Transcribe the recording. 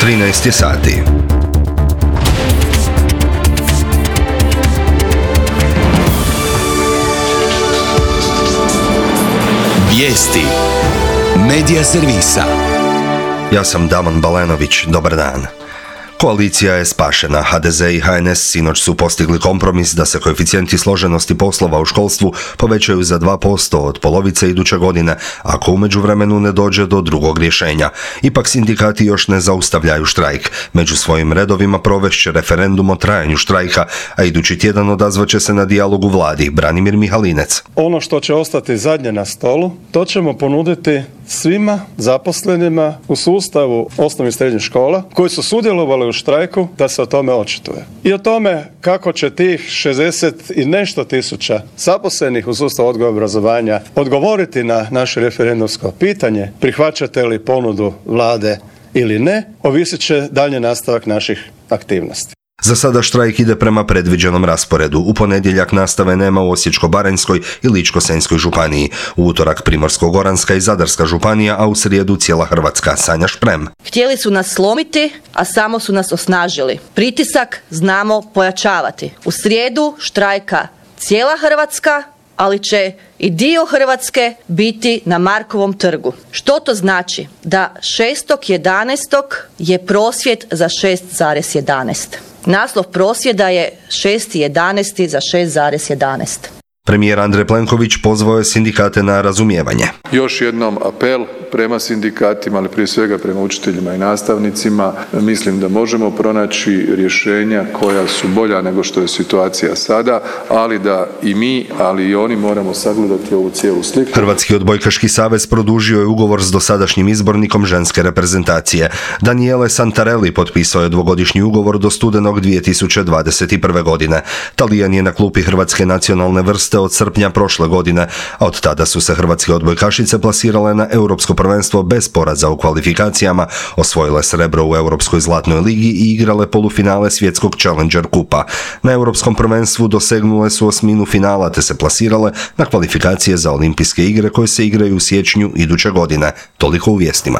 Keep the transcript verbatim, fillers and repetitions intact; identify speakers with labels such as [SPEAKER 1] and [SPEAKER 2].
[SPEAKER 1] trinaest je sati.
[SPEAKER 2] Vijesti Medija servisa.
[SPEAKER 1] Ja sam Damon Balenović, dobar dan. Koalicija je spašena. ha de ze i ha en es sinoć su postigli kompromis da se koeficijenti složenosti poslova u školstvu povećaju za dva posto od polovice iduće godine, ako u međuvremenu ne dođe do drugog rješenja. Ipak sindikati još ne zaustavljaju štrajk. Među svojim redovima provešće referendum o trajanju štrajka, a idući tjedan odazvaće se na dijalog u vladi. Branimir Mihalinec.
[SPEAKER 3] Ono što će ostati zadnje na stolu, to ćemo ponuditi svima zaposlenima u sustavu osnovnih i srednjih škola koji su sudjelovali u štrajku da se o tome očituje. I o tome kako će tih šezdeset i nešto tisuća zaposlenih u sustavu odgoja i obrazovanja odgovoriti na naše referendumsko pitanje, prihvaćate li ponudu vlade ili ne, ovisit će dalje nastavak naših aktivnosti.
[SPEAKER 1] Za sada štrajk ide prema predviđenom rasporedu. U ponedjeljak nastave nema u Osječko-baranjskoj i Ličko-senjskoj županiji. U utorak Primorsko-goranska i Zadarska županija, a u srijedu cijela Hrvatska. Sanja Šprem.
[SPEAKER 4] Htjeli su nas slomiti, a samo su nas osnažili. Pritisak znamo pojačavati. U srijedu štrajka cijela Hrvatska, ali će i dio Hrvatske biti na Markovom trgu. Što to znači? Da šestog jedanaestog je prosvjed za šest zarez jedanaest. Naslov prosvjeda je šesti jedanaesti za šest zarez jedanaest.
[SPEAKER 1] Premijer Andrej Plenković pozvao je sindikate na razumijevanje.
[SPEAKER 5] Još jednom apel prema sindikatima, ali prije svega prema učiteljima i nastavnicima. Mislim da možemo pronaći rješenja koja su bolja nego što je situacija sada, ali da i mi, ali i oni moramo sagledati ovu cijelu sliku.
[SPEAKER 1] Hrvatski odbojkaški savez produžio je ugovor s dosadašnjim izbornikom ženske reprezentacije. Daniele Santarelli potpisao je dvogodišnji ugovor do studenog dvije tisuće dvadeset prve. godine. Talijan je na klupi hrvatske nacionalne vrste od srpnja prošle godine, a od tada su se hrvatske odbojkašice plasirale na europsko prvenstvo bez poraza u kvalifikacijama, osvojile srebro u Europskoj zlatnoj ligi i igrale polufinale svjetskog Challenger kupa. Na europskom prvenstvu dosegnule su osminu finala te se plasirale na kvalifikacije za olimpijske igre koje se igraju u siječnju iduće godine. Toliko u vijestima.